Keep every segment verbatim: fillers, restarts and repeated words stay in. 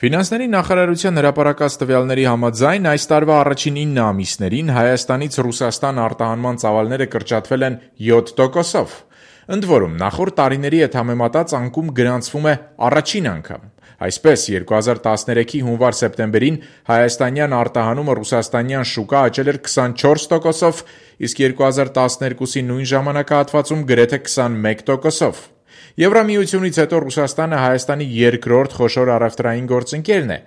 Ֆինանսների նախարարության հրապարակած տվյալների համաձայն այս տարվա առաջին ինը ամիսներին Հայաստանից Ռուսաստան արտահանման ծավալները կրճատվել են յոթ տոկոսով։ Ընդ որում, նախորդ տարիների հետ համեմատած անկում գրանցվում է առաջին անգամ։ Այսպես, երկու հազար տասներեքի հունվար-սեպտեմբերին հայաստանյան արտահանումը ռուսաստանյան շուկա աճել էր քսանչորս տոկոսով, իսկ երկու հազար տասներկուսի նույն ժամանակահատվածում գրեթե քսանմեկ տոկոսով։ Եվրամիությունից հետո Ռուսաստանը Հայաստանի երկրորդ խոշոր առևտրային գործընկերն է,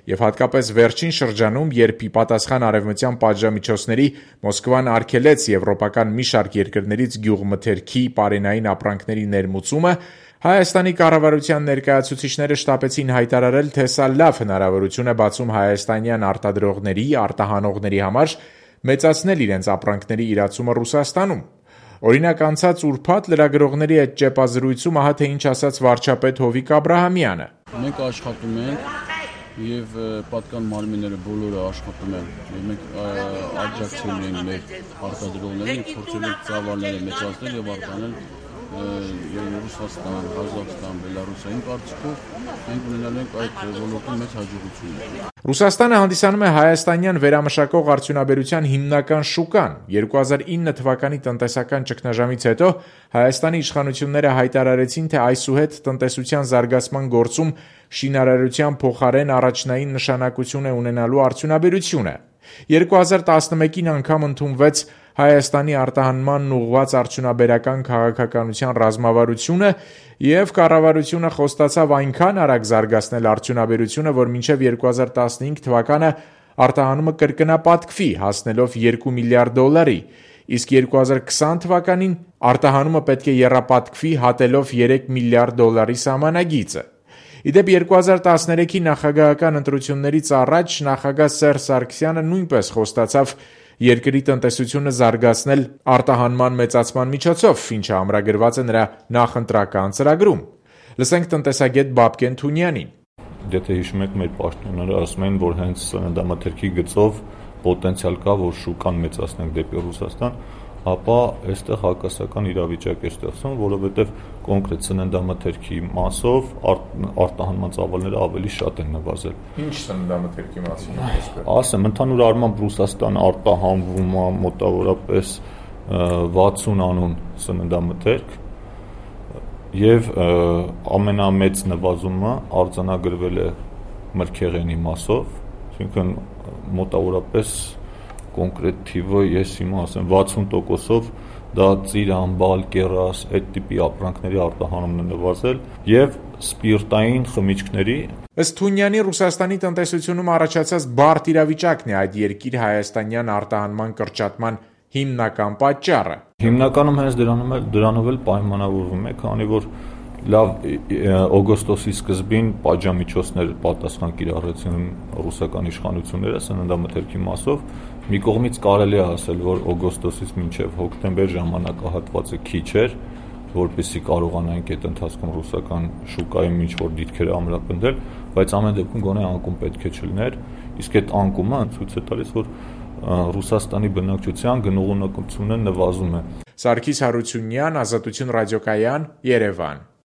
եւ հատկապես վերջին շրջանում, երբ ի պատասխան արևմտյան պատժամիջոցների Մոսկվան արգելեց եվրոպական մի շարք երկրներից գյուղմթերքի պարենային ապրանքների ներմուծումը, Հայաստանի կառավարության ներկայացուցիչները շտապեցին հայտարարել, թե սա լավ հնարավորություն է բացում հայաստանյան արտադրողների, արտահանողների համար մեծացնել իրենց ապրանքների իրացումը Ռուսաստանում։ Օրինակ, անցած ուրբաթ լրագրողների հետ ճեպազրույցում ահա թե ինչ ասաց վարչապետ Հովիկ Աբրահամյանը. Մենք աշխատում ենք եւ պատկան մարմինները բոլորը աշխատում են։ Մենք աջակցել ենք մեր արտադրողներին, փորձել ենք ծավալները մեծացնել եւ արտանել Ռուսաստան, Ղազախստան, Բելարուսային կարծիքով մենք ունենալ ենք այդ ոլորտում մեծ հաջողություններ։ Ռուսաստանը հանդիսանում է հայաստանյան վերամշակող արդյունաբերության հիմնական շուկան։ երկու հազար ինը թվականի տնտեսական ճգնաժամից հետո Հայաստանի իշխանությունները հայտարարեցին, թե այսուհետ տնտեսության զարգացման գործում շինարարության փոխարեն առաջնային նշանակություն է ունենալու արդյունաբերությունը։ երկու հազար տասնմեկին անգամ ընդունվեց Հայաստանի արտահանմանն ուղղված արդյունաբերական քաղաքականության ռազմավարությունը եւ կառավարությունը խոստացավ այնքան արագ զարգացնել արդյունաբերությունը, որ մինչեւ երկու հազար տասնհինգ թվականը արտահանումը կրկնապատկվի, հասնելով երկու միլիարդ դոլարի, իսկ երկու հազար քսան թվականին արտահանումը պետք է եռապատկվի, հատելով երեք միլիարդ դոլարի սահմանագիծը։ Իդեպ երկու հազար տասներեքի նախագահական ընտրություններից առաջ նախագահ Սերժ Սարգսյանը նույնպես խոստացավ երկրի տնտեսությունը զարգացնել արտահանման մեծացման միջոցով, ինչը ամրագրված է նրա նախընտրական ծրագրում։ Լսենք տնտեսագետ Բաբկեն Թունյանին. Եթե հիշում եք, մեր պաշտոնյաները ասում են, որ հենց սննդամթերքի գծով պոտենցիալ կա, որ շուկան մեծացնենք դեպի Ռուսաստան, ապա այստեղ հակասական իրավիճակ է ստեղծվում, որովհետև կոնկրետ սննդամթերքի մասով արտահանման ծավալները ավելի շատ են նվազել։ Ինչ սննդամթերքի մասին է խոսքը։ Ասեմ, ընդհանուր առմամբ Ռուսաստան արտահանվում է մոտավորապես վաթսուն անուն սննդամթերք եւ ամենամեծ նվազումը արձանագրվել է մրգեղենի մասով, այսինքն մոտավորապես կոնկրետ թիվը ես հիմա ասեմ վաթսուն տոկոսով դա ծիրան, բալ, կեռաս, այդ տիպի ապրանքների արտահանումն է նվազել եւ սպիրտային խմիչքների։ Ըստ Թունյանի, Ռուսաստանի տնտեսությունում առաջացած բարդ իրավիճակն է այդ երկիր հայաստանյան արտահանման կրճատման հիմնական պատճառը։ Հիմնականում հենց դրանով էլ դրանով էլ պայմանավորվում է, քանի որ լավ օգոստոսի սկզբին պատժամիջոցներ պատասխան կիրառեցին ռուսական իշխանությունները սննդամթերքի մասով։ Մի կողմից կարելի է ասել, որ օգոստոսից մինչև հոկտեմբեր ժամանակահատվածը քիչ էր, որպեսզի կարողանայինք այդ ընթացքում ռուսական շուկայում ինչ-որ դիրքեր ամրապնդել, բայց ամեն դեպքում գոնե անկում պետք է չլիներ, իսկ այդ անկումը ցույց է տալիս, որ Ռուսաստանի բնակչության գնողունակությունը նվազում է։ Սարգիս Հարությունյան, Ազատություն ռադիոկայան, Երևան։